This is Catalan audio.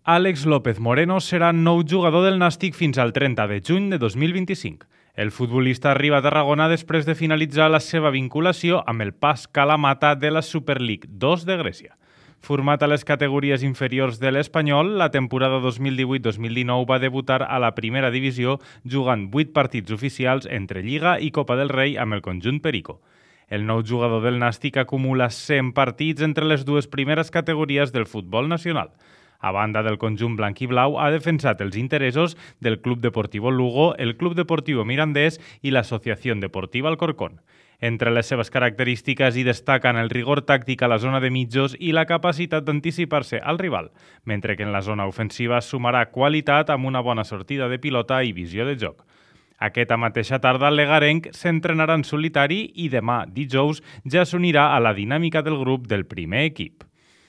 Àlex López Moreno serà nou jugador del Nàstic fins al 30 de juny de 2025. El futbolista arriba a Tarragona després de finalitzar la seva vinculació amb el PAS Kalamata de la Super League 2 de Grècia. Format a les categories inferiors de l'Espanyol, la temporada 2018-2019 va debutar a la primera divisió jugant 8 partits oficials entre Lliga i Copa del Rei amb el conjunt Perico. El nou jugador del Nàstic acumula 100 partits entre les dues primeres categories del futbol nacional. A banda del conjunt blanc i blau, ha defensat els interessos del Club Deportivo Lugo, el Club Deportivo Mirandés i l'Associació Deportiva Alcorcón. Entre les seves característiques hi destaquen el rigor tàctic a la zona de mitjos i la capacitat d'anticipar-se al rival, mentre que en la zona ofensiva sumarà qualitat amb una bona sortida de pilota i visió de joc. Aquesta mateixa tarda, l'Egarenc s'entrenarà en solitari i demà, dijous, ja s'unirà a la dinàmica del grup del primer equip.